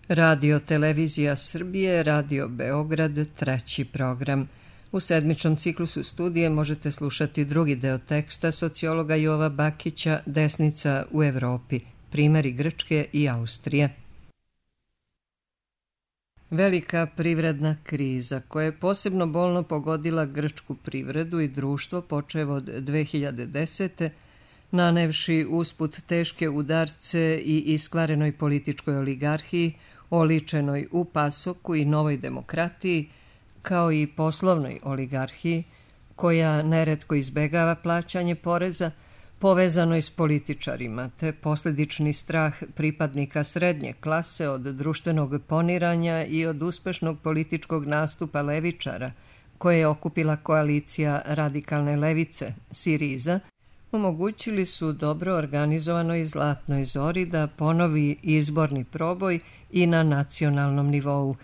Radio Televizija Srbije, Radio Beograd, treći program. U sedmičnom ciklusu studije možete slušati drugi deo teksta sociologa Jova Bakića Desnica u Evropi, primjeri Grčke i Austrije. Velika privredna kriza koja je posebno bolno pogodila grčku privredu i društvo počev od 2010. nanevši usput teške udarce i iskvarenoj političkoj oligarhiji, oličenoj u Pasoku i Novoj demokratiji, kao i poslovnoj oligarhiji, koja neretko izbegava plaćanje poreza, povezanoj s političarima, te posljedični strah pripadnika srednje klase od društvenog poniranja i od uspešnog političkog nastupa levičara, koje je okupila koalicija radikalne levice, Siriza, omogućili su dobro organizovanoj Zlatnoj Zori da ponovi izborni proboj i na nacionalnom nivou.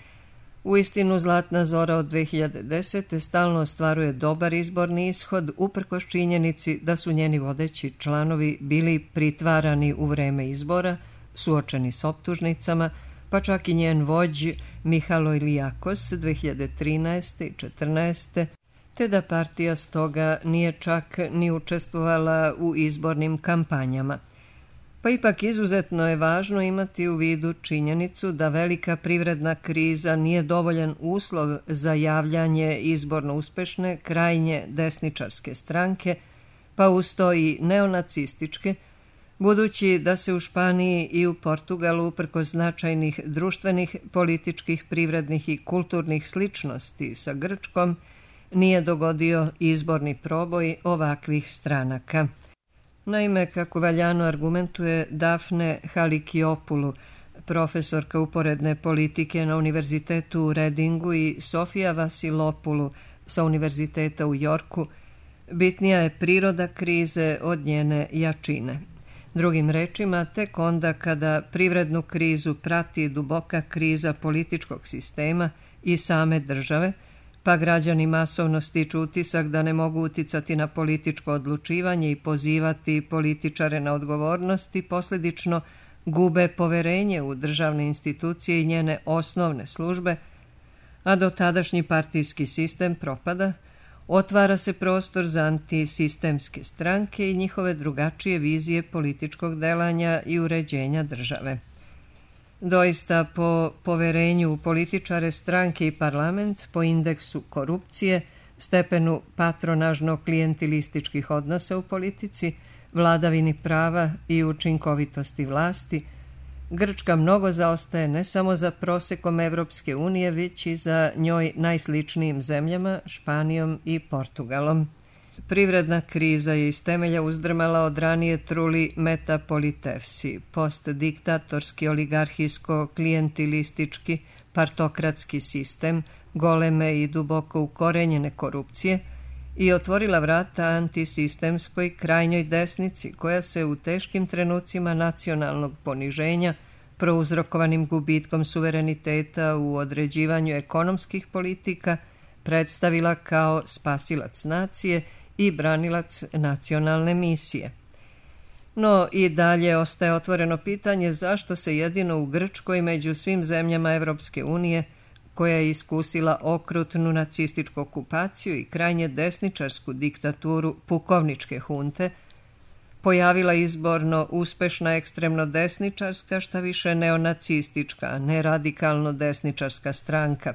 Uistinu, Zlatna Zora od 2010. stalno ostvaruje dobar izborni ishod uprkos činjenici da su njeni vodeći članovi bili pritvarani u vreme izbora, suočeni s optužnicama, pa čak i njen vođ Mihalo Ilijakos 2013. i 2014. te da partija stoga nije čak ni učestvovala u izbornim kampanjama. Pa ipak izuzetno je važno imati u vidu činjenicu da velika privredna kriza nije dovoljan uslov za javljanje izborno uspešne krajnje desničarske stranke, pa uz to i neonacističke, budući da se u Španiji i u Portugalu uprkos značajnih društvenih, političkih, privrednih i kulturnih sličnosti sa Grčkom nije dogodio izborni proboj ovakvih stranaka. Naime, kako valjano argumentuje Dafne Halikiopoulou, profesorka uporedne politike na Univerzitetu u Redingu, i Sofija Vasilopoulou sa Univerziteta u Jorku, bitnija je priroda krize od njene jačine. Drugim rečima, tek onda kada privrednu krizu prati duboka kriza političkog sistema i same države, pa građani masovno stiču utisak da ne mogu uticati na političko odlučivanje i pozivati političare na odgovornost i posljedično gube poverenje u državne institucije i njene osnovne službe, a dotadašnji partijski sistem propada, otvara se prostor za antisistemske stranke i njihove drugačije vizije političkog delanja i uređenja države. Doista, po poverenju u političare, stranke i parlament, po indeksu korupcije, stepenu patronažno-klijentilističkih odnosa u politici, vladavini prava i učinkovitosti vlasti, Grčka mnogo zaostaje ne samo za prosekom Evropske unije, već i za njoj najsličnijim zemljama, Španijom i Portugalom. Privredna kriza je iz temelja uzdrmala od ranije truli metapolitefsi, postdiktatorski, oligarhijsko-klijentilistički, partokratski sistem, goleme i duboko ukorenjene korupcije i otvorila vrata antisistemskoj krajnjoj desnici koja se u teškim trenucima nacionalnog poniženja, prouzrokovanim gubitkom suvereniteta u određivanju ekonomskih politika, predstavila kao spasilac nacije i branilac nacionalne misije. No i dalje ostaje otvoreno pitanje zašto se jedino u Grčkoj među svim zemljama Evropske unije, koja je iskusila okrutnu nacističku okupaciju i krajnje desničarsku diktaturu pukovničke hunte, pojavila izborno uspešna ekstremno desničarska, šta više neonacistička, a ne radikalno desničarska stranka.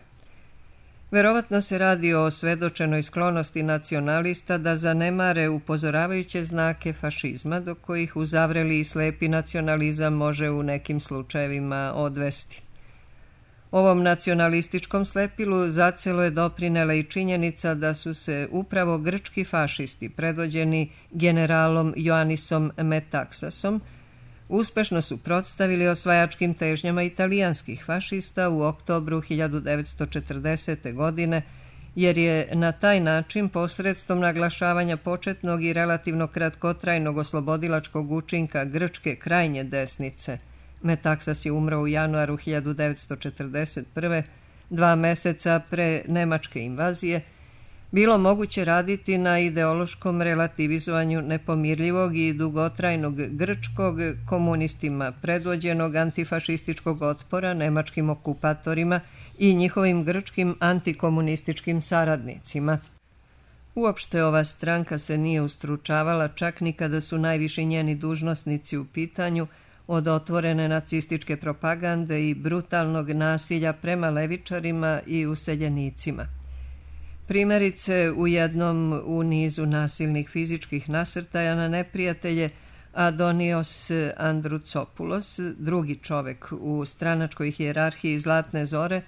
Verovatno se radi o svedočenoj sklonosti nacionalista da zanemare upozoravajuće znake fašizma, do kojih uzavreli i slepi nacionalizam može u nekim slučajevima odvesti. Ovom nacionalističkom slepilu zacelo je doprinela i činjenica da su se upravo grčki fašisti, predvođeni generalom Ioannisom Metaxasom, uspešno suprotstavili osvajačkim težnjama italijanskih fašista u oktobru 1940. godine, jer je na taj način posredstvom naglašavanja početnog i relativno kratkotrajnog oslobodilačkog učinka grčke krajnje desnice, Metaxas je umro u januaru 1941. 2 meseca pre nemačke invazije, bilo moguće raditi na ideološkom relativizovanju nepomirljivog i dugotrajnog grčkog, komunistima predvođenog antifašističkog otpora nemačkim okupatorima i njihovim grčkim antikomunističkim saradnicima. Uopšte ova stranka se nije ustručavala čak ni kada su najviši njeni dužnosnici u pitanju, od otvorene nacističke propagande i brutalnog nasilja prema levičarima i useljenicima. Primjerice, u jednom u nizu nasilnih fizičkih nasrtaja na neprijatelje, Adonios Androutsopoulos, drugi čovek u stranačkoj hijerarhiji Zlatne zore,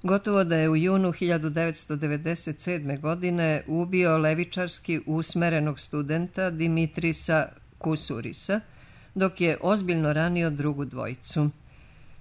gotovo da je u junu 1997. godine ubio levičarski usmerenog studenta Dimitrisa Kusurisa, dok je ozbiljno ranio drugu dvojicu.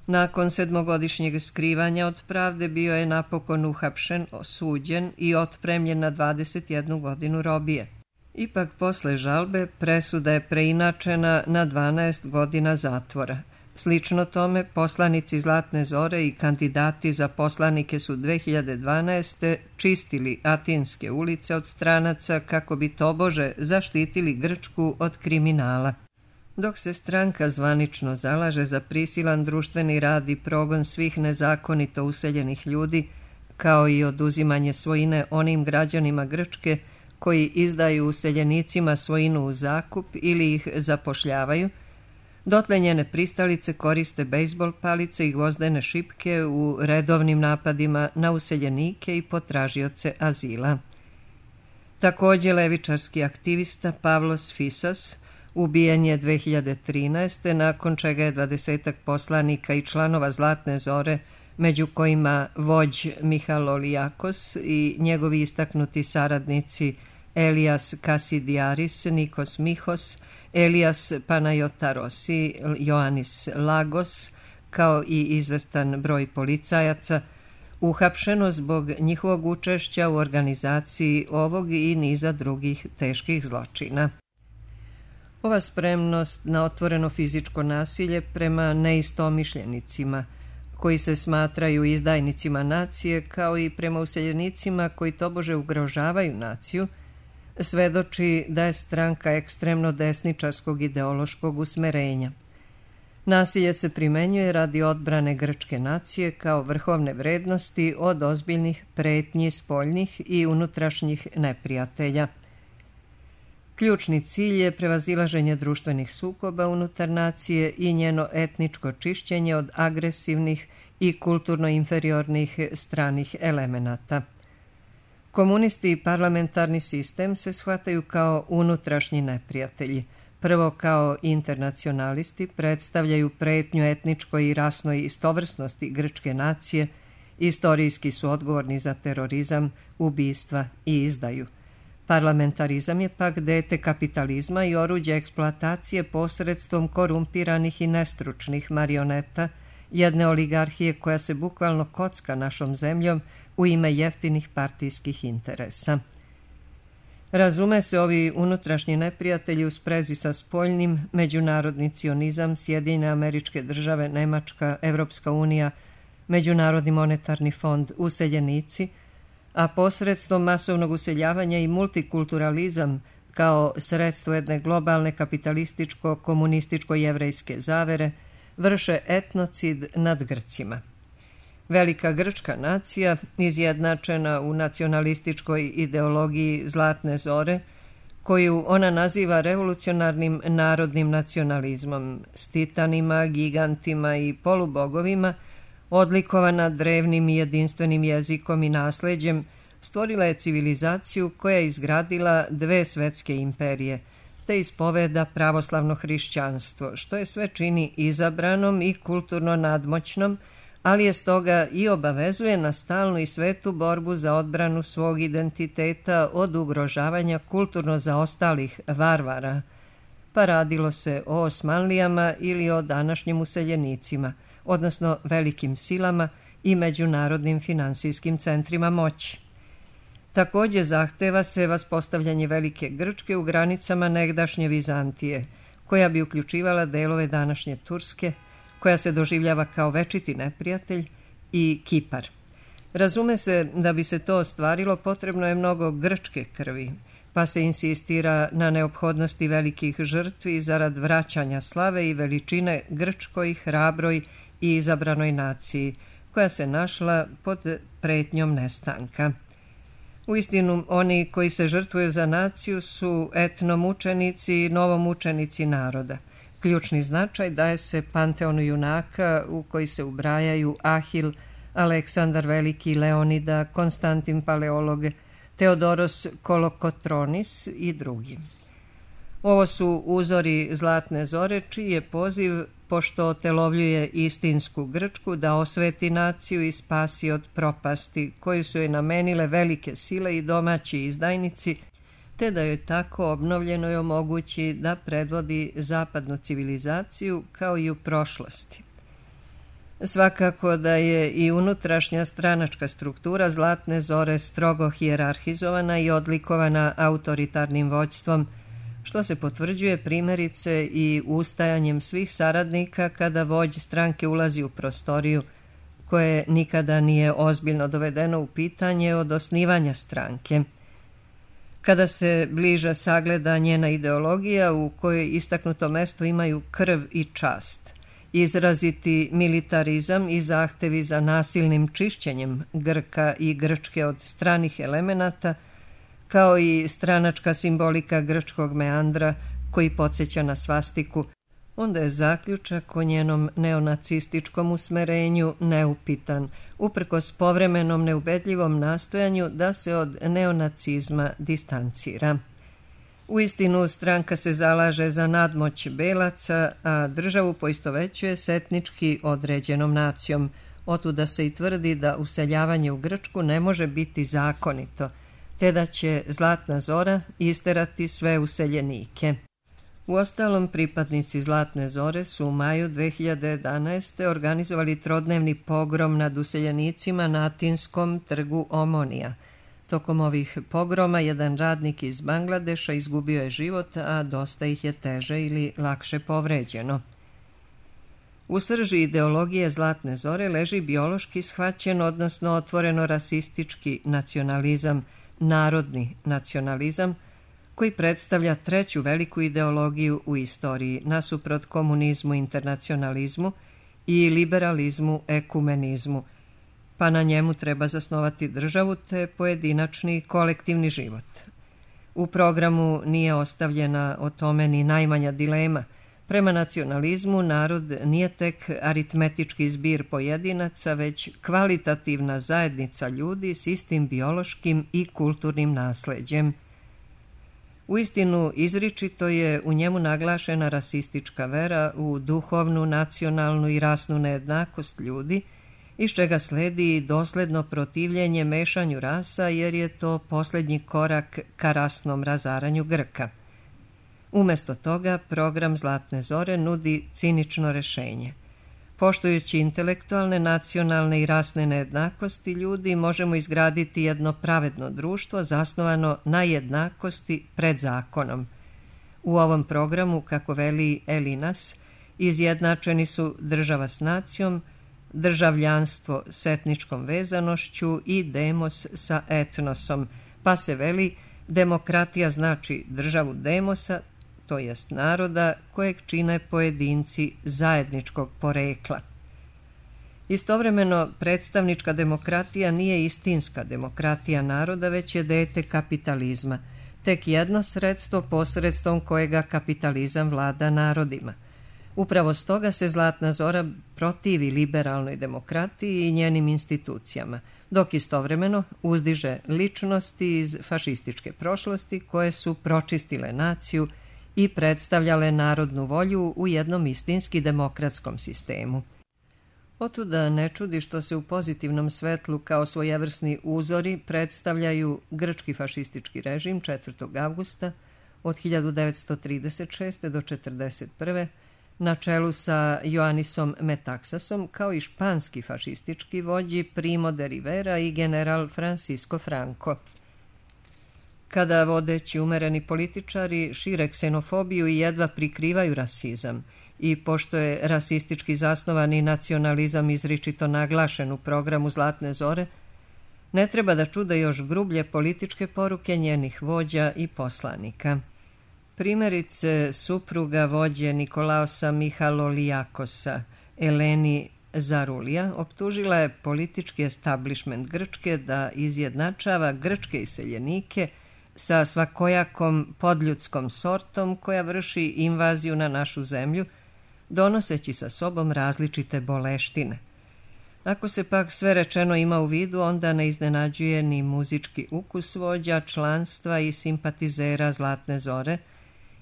Nakon 7-godišnjeg skrivanja od pravde bio je napokon uhapšen, osuđen i otpremljen na 21 godinu robije. Ipak posle žalbe presuda je preinačena na 12 godina zatvora. Slično tome, poslanici Zlatne zore i kandidati za poslanike su 2012. čistili atinske ulice od stranaca kako bi tobože zaštitili Grčku od kriminala. Dok se stranka zvanično zalaže za prisilan društveni rad i progon svih nezakonito useljenih ljudi, kao i oduzimanje svojine onim građanima Grčke koji izdaju useljenicima svojinu u zakup ili ih zapošljavaju, dotle njene pristalice koriste bejzbol palice i gvozdene šipke u redovnim napadima na useljenike i potražioce azila. Također levičarski aktivista Pavlos Fisas ubijen je 2013. nakon čega je 20 poslanika i članova Zlatne zore, među kojima vođ Mihalolijakos i njegovi istaknuti saradnici Elias Kasidiaris, Nikos Mihos, Elias Panayotaros i Ioannis Lagos, kao i izvestan broj policajaca, uhapšeno zbog njihovog učešća u organizaciji ovog i niza drugih teških zločina. Ova spremnost na otvoreno fizičko nasilje prema neistomišljenicima, koji se smatraju izdajnicima nacije, kao i prema useljenicima koji tobože ugrožavaju naciju, svedoči da je stranka ekstremno desničarskog ideološkog usmerenja. Nasilje se primenjuje radi odbrane grčke nacije kao vrhovne vrednosti od ozbiljnih pretnji spoljnih i unutrašnjih neprijatelja. Ključni cilj je prevazilaženje društvenih sukoba unutar nacije i njeno etničko čišćenje od agresivnih i kulturno inferiornih stranih elemenata. Komunisti i parlamentarni sistem se shvataju kao unutrašnji neprijatelji. Prvo kao internacionalisti predstavljaju pretnju etničkoj i rasnoj istovrsnosti grčke nacije, istorijski su odgovorni za terorizam, ubistva i izdaju. Parlamentarizam je pak dete kapitalizma i oruđe eksploatacije posredstvom korumpiranih i nestručnih marioneta, jedne oligarhije koja se bukvalno kocka našom zemljom u ime jeftinih partijskih interesa. Razume se, ovi unutrašnji neprijatelji u sprezi sa spoljnim, međunarodni cionizam, Sjedinjene Američke Države, Nemačka, Evropska unija, Međunarodni monetarni fond, useljenici, a posredstvom masovnog useljavanja i multikulturalizam kao sredstvo jedne globalne kapitalističko-komunističko-jevrejske zavere vrše etnocid nad Grcima. Velika grčka nacija, izjednačena u nacionalističkoj ideologiji Zlatne zore, koju ona naziva revolucionarnim narodnim nacionalizmom, s titanima, gigantima i polubogovima, odlikovana drevnim i jedinstvenim jezikom i nasleđem, stvorila je civilizaciju koja je izgradila 2 svetske imperije, te ispoveda pravoslavno hrišćanstvo, što je sve čini izabranom i kulturno nadmoćnom, ali je stoga i obavezuje na stalnu i svetu borbu za odbranu svog identiteta od ugrožavanja kulturno zaostalih varvara, pa radilo se o Osmanlijama ili o današnjim useljenicima, odnosno velikim silama i međunarodnim finansijskim centrima moći. Također zahteva se vaspostavljanje Velike Grčke u granicama negdašnje Vizantije, koja bi uključivala delove današnje Turske, koja se doživljava kao večiti neprijatelj, i Kipar. Razume se, da bi se to ostvarilo potrebno je mnogo grčke krvi, pa se insistira na neophodnosti velikih žrtvi zarad vraćanja slave i veličine grčkoj, hrabroj i izabranoj naciji, koja se našla pod pretnjom nestanka. Uistinu, oni koji se žrtvuju za naciju su etnomučenici i novomučenici naroda. Ključni značaj daje se panteonu junaka u koji se ubrajaju Ahil, Aleksandar Veliki, Leonida, Konstantin Paleolog, Teodoros Kolokotronis i drugi. Ovo su uzori Zlatne zore, čiji je poziv, pošto otelovljuje istinsku Grčku, da osveti naciju i spasi od propasti koju su joj namenile velike sile i domaći izdajnici, te da joj tako obnovljenoj omogući da predvodi zapadnu civilizaciju kao i u prošlosti. Svakako da je i unutrašnja stranačka struktura Zlatne zore strogo hijerarhizovana i odlikovana autoritarnim vođstvom, što se potvrđuje primjerice i ustajanjem svih saradnika kada vođ stranke ulazi u prostoriju, koje nikada nije ozbiljno dovedeno u pitanje od osnivanja stranke. Kada se bliže sagleda njena ideologija u kojoj istaknuto mesto imaju krv i čast, izraziti militarizam i zahtevi za nasilnim čišćenjem Grka i Grčke od stranih elemenata, kao i stranačka simbolika grčkog meandra koji podsjeća na svastiku, onda je zaključak o njenom neonacističkom usmerenju neupitan, uprkos povremenom neubedljivom nastojanju da se od neonacizma distancira. Uistinu, stranka se zalaže za nadmoć belaca, a državu poistovećuje s etnički određenom nacijom. Otuda se i tvrdi da useljavanje u Grčku ne može biti zakonito, te da će Zlatna zora isterati sve useljenike. Uostalom, pripadnici Zlatne zore su u maju 2011. organizovali trodnevni pogrom nad useljenicima na Atinskom trgu Omonija. Tokom ovih pogroma jedan radnik iz Bangladeša izgubio je život, a dosta ih je teže ili lakše povređeno. U srži ideologije Zlatne zore leži biološki shvaćen, odnosno otvoreno rasistički nacionalizam, narodni nacionalizam, koji predstavlja treću veliku ideologiju u istoriji, nasuprot komunizmu, internacionalizmu i liberalizmu, ekumenizmu, pa na njemu treba zasnovati državu te pojedinačni i kolektivni život. U programu nije ostavljena o tome ni najmanja dilema. Prema nacionalizmu narod nije tek aritmetički zbir pojedinaca, već kvalitativna zajednica ljudi s istim biološkim i kulturnim nasleđem. Uistinu, izričito je u njemu naglašena rasistička vera u duhovnu, nacionalnu i rasnu nejednakost ljudi, iz čega sledi i dosledno protivljenje mešanju rasa, jer je to posljednji korak ka rasnom razaranju Grka. Umesto toga, program Zlatne zore nudi cinično rešenje. Poštujući intelektualne, nacionalne i rasne nejednakosti ljudi, možemo izgraditi jedno pravedno društvo zasnovano na jednakosti pred zakonom. U ovom programu, kako veli Elinas, izjednačeni su država s nacijom, državljanstvo s etničkom vezanošću i demos sa etnosom, pa se veli demokratija znači državu demosa, to jest naroda kojeg čine pojedinci zajedničkog porekla. Istovremeno, predstavnička demokratija nije istinska demokratija naroda, već je dete kapitalizma, tek jedno sredstvo posredstvom kojega kapitalizam vlada narodima. Upravo stoga se Zlatna zora protivi liberalnoj demokratiji i njenim institucijama, dok istovremeno uzdiže ličnosti iz fašističke prošlosti koje su pročistile naciju i predstavljale narodnu volju u jednom istinski demokratskom sistemu. Otuda ne čudi što se u pozitivnom svetlu kao svojevrsni uzori predstavljaju grčki fašistički režim 4. avgusta od 1936. do 1941. na čelu sa Ioannisom Metaxasom, kao i španski fašistički vođi Primo de Rivera i general Francisco Franco. Kada vodeći umereni političari šire ksenofobiju i jedva prikrivaju rasizam, i pošto je rasistički zasnovani nacionalizam izričito naglašen u programu Zlatne zore, Ne treba da čude još grublje političke poruke njenih vođa i poslanika. Primjerice, supruga vođe Nikolaosa Mihalolijakosa, Eleni Zarulija, optužila je politički establishment Grčke da izjednačava grčke iseljenike sa svakojakom podljudskom sortom koja vrši invaziju na našu zemlju, donoseći sa sobom različite boleštine. Ako se pak sve rečeno ima u vidu, onda ne iznenađuje ni muzički ukus vođa, članstva i simpatizera Zlatne Zore,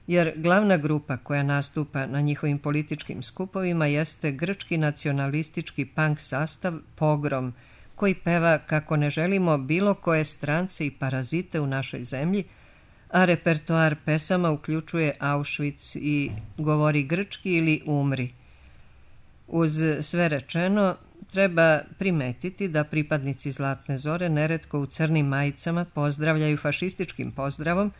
jer glavna grupa koja nastupa na njihovim političkim skupovima jeste grčki nacionalistički punk sastav Pogrom, koji peva kako ne želimo bilo koje strance i parazite u našoj zemlji, a repertoar pesama uključuje Auschwitz i Govori grčki ili Umri. Uz sve rečeno, treba primetiti da pripadnici Zlatne Zore neretko u crnim majicama pozdravljaju fašističkim pozdravom,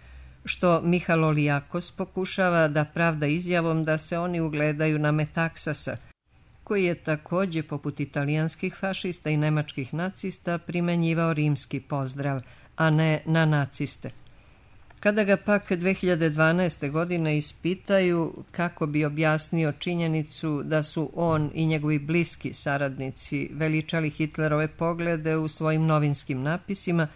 što Mihalolijakos pokušava da pravda izjavom da se oni ugledaju na Metaksasa, koji je također, poput italijanskih fašista i nemačkih nacista, primenjivao rimski pozdrav, a ne na naciste. Kada ga pak 2012. godine ispitaju kako bi objasnio činjenicu da su on i njegovi bliski saradnici veličali Hitlerove poglede u svojim novinskim napisima,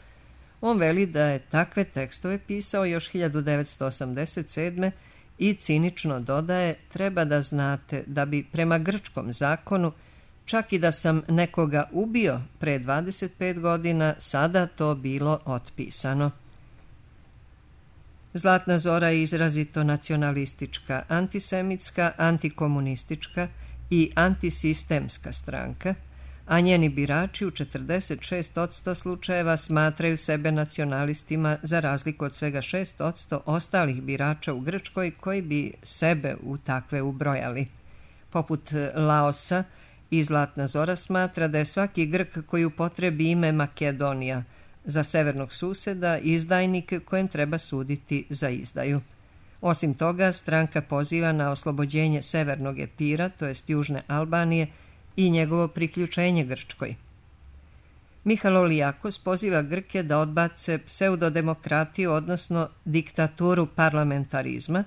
on veli da je takve tekstove pisao još 1987. i cinično dodaje: treba da znate da bi prema grčkom zakonu, čak i da sam nekoga ubio pre 25 godina, sada to bilo otpisano. Zlatna Zora je izrazito nacionalistička, antisemitska, antikomunistička i antisistemska stranka, a njeni birači u 46% slučajeva smatraju sebe nacionalistima, za razliku od svega 6% ostalih birača u Grčkoj koji bi sebe u takve ubrojali. Poput Laosa, i Zlatna Zora smatra da je svaki Grk koji upotrebi ime Makedonija za severnog suseda izdajnik kojem treba suditi za izdaju. Osim toga, stranka poziva na oslobođenje severnog Epira, to jest južne Albanije, i njegovo priključenje Grčkoj. Mihalolijakos poziva Grke da odbace pseudodemokratiju, odnosno diktaturu parlamentarizma,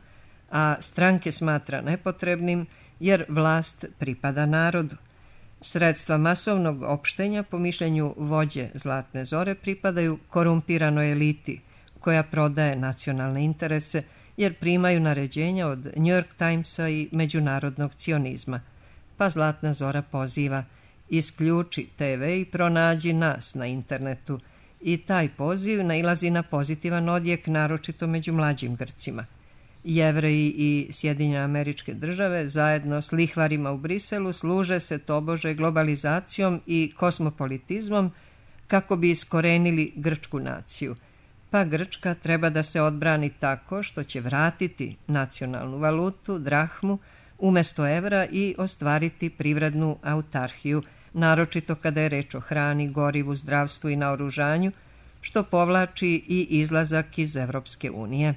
a stranke smatra nepotrebnim jer vlast pripada narodu. Sredstva masovnog opštenja, po mišljenju vođe Zlatne Zore, pripadaju korumpiranoj eliti koja prodaje nacionalne interese jer primaju naređenja od New York Timesa i međunarodnog cionizma. Pa Zlatna Zora poziva: isključi TV i pronađi nas na internetu, i taj poziv nailazi na pozitivan odjek, naročito među mlađim Grcima. Jevreji i Sjedinjene Američke Države zajedno s lihvarima u Briselu služe se tobože globalizacijom i kosmopolitizmom kako bi iskorenili grčku naciju, pa Grčka treba da se odbrani tako što će vratiti nacionalnu valutu, drahmu, umjesto evra i ostvariti privrednu autarhiju, naročito kada je reč o hrani, gorivu, zdravstvu i naoružanju, što povlači i izlazak iz Evropske unije.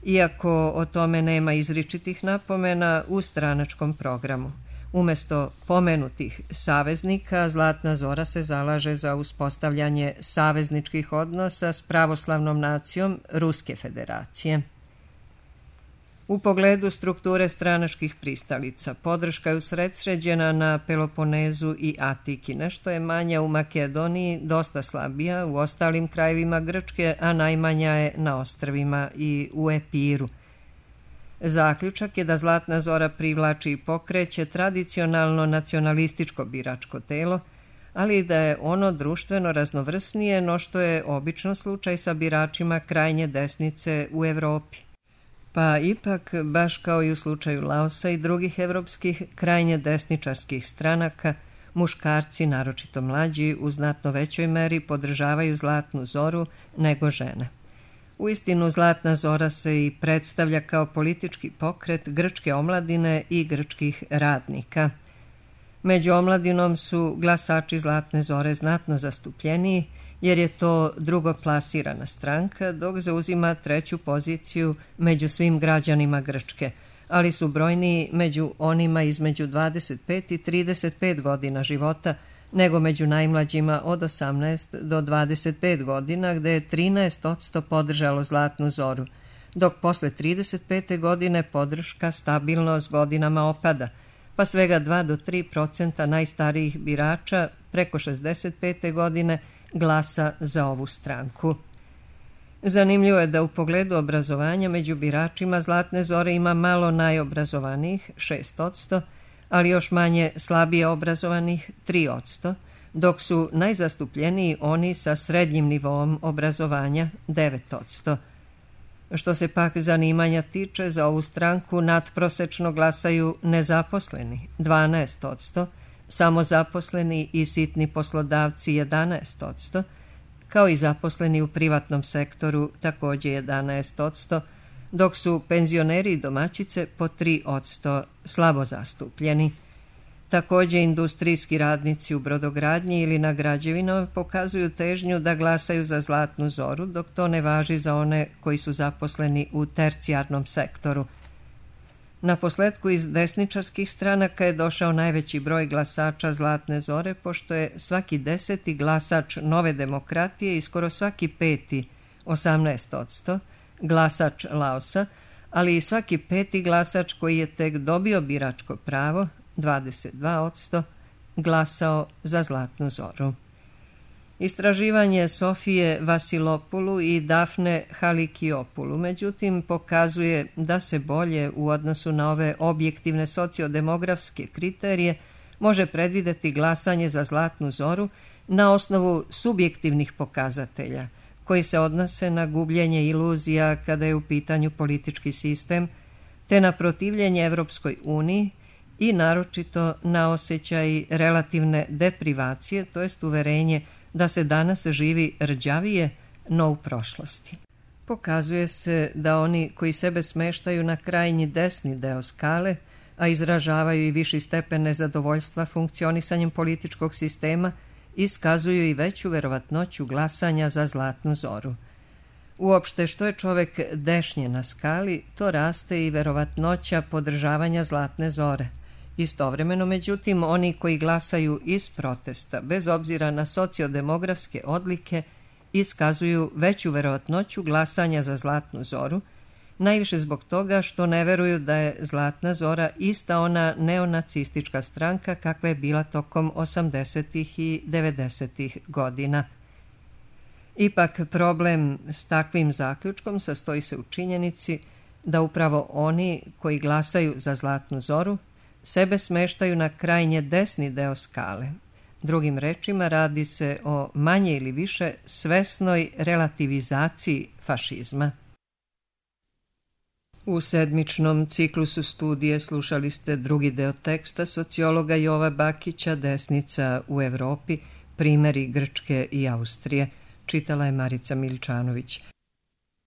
Iako o tome nema izričitih napomena u stranačkom programu. Umjesto pomenutih saveznika, Zlatna Zora se zalaže za uspostavljanje savezničkih odnosa s pravoslavnom nacijom Ruske federacije. U pogledu strukture stranačkih pristalica, podrška je usredsređena na Peloponezu i Atiki, nešto je manja u Makedoniji, dosta slabija u ostalim krajevima Grčke, a najmanja je na ostrvima i u Epiru. Zaključak je da Zlatna Zora privlači i pokreće tradicionalno nacionalističko biračko telo, ali da je ono društveno raznovrsnije no što je obično slučaj sa biračima krajnje desnice u Evropi. Pa ipak, baš kao i u slučaju Laosa i drugih evropskih krajnje desničarskih stranaka, muškarci, naročito mlađi, u znatno većoj meri podržavaju Zlatnu Zoru nego žene. Uistinu, Zlatna Zora se i predstavlja kao politički pokret grčke omladine i grčkih radnika. Među omladinom su glasači Zlatne Zore znatno zastupljeniji, jer je to drugoplasirana stranka, dok zauzima treću poziciju među svim građanima Grčke, ali su brojniji među onima između 25 i 35 godina života, nego među najmlađima od 18 do 25 godina, gde je 13% podržalo Zlatnu zoru, dok posle 35. godine podrška stabilno s godinama opada, pa svega 2 do 3% najstarijih birača preko 65. godine glasa za ovu stranku. Zanimljivo je da u pogledu obrazovanja među biračima Zlatne zore ima malo najobrazovanijih, 6%, ali još manje slabije obrazovanih, 3%, dok su najzastupljeniji oni sa srednjim nivoom obrazovanja, 9%. Što se pak zanimanja tiče, za ovu stranku nadprosečno glasaju nezaposleni, 12%, samozaposleni i sitni poslodavci 11%, kao i zaposleni u privatnom sektoru također 11%, dok su penzioneri i domaćice po 3% slabo zastupljeni. Također industrijski radnici u brodogradnji ili na građevinama pokazuju težnju da glasaju za Zlatnu zoru, dok to ne važi za one koji su zaposleni u tercijarnom sektoru. Na posletku iz desničarskih stranaka je došao najveći broj glasača Zlatne zore, pošto je svaki 10. glasač Nove demokratije i skoro svaki 5., 18%, glasač Laosa, ali i svaki 5. glasač koji je tek dobio biračko pravo, 22%, glasao za Zlatnu zoru. Istraživanje Sofije Vasilopulu i Dafne Halikiopulu, međutim, pokazuje da se bolje u odnosu na ove objektivne sociodemografske kriterije može predvideti glasanje za Zlatnu zoru na osnovu subjektivnih pokazatelja, koji se odnose na gubljenje iluzija kada je u pitanju politički sistem, te na protivljenje Evropskoj uniji i naročito na osjećaj relativne deprivacije, to jest uverenje da se danas živi rđavije, no u prošlosti. Pokazuje se da oni koji sebe smeštaju na krajnji desni deo skale, a izražavaju i viši stepen nezadovoljstva funkcionisanjem političkog sistema, iskazuju i veću verovatnoću glasanja za Zlatnu zoru. Uopšte, što je čovek dešnje na skali, to raste i verovatnoća podržavanja Zlatne zore. Istovremeno, međutim, oni koji glasaju iz protesta, bez obzira na sociodemografske odlike, iskazuju veću verovatnoću glasanja za Zlatnu zoru, najviše zbog toga što ne veruju da je Zlatna zora ista ona neonacistička stranka kakva je bila tokom 80. i 90. godina. Ipak, problem s takvim zaključkom sastoji se u činjenici da upravo oni koji glasaju za Zlatnu zoru sebe smeštaju na krajnje desni deo skale. Drugim rečima, radi se o manje ili više svesnoj relativizaciji fašizma. U sedmičnom ciklusu studije slušali ste drugi deo teksta sociologa Jova Bakića Desnica u Evropi, primjeri Grčke i Austrije. Čitala je Marica Miličanović.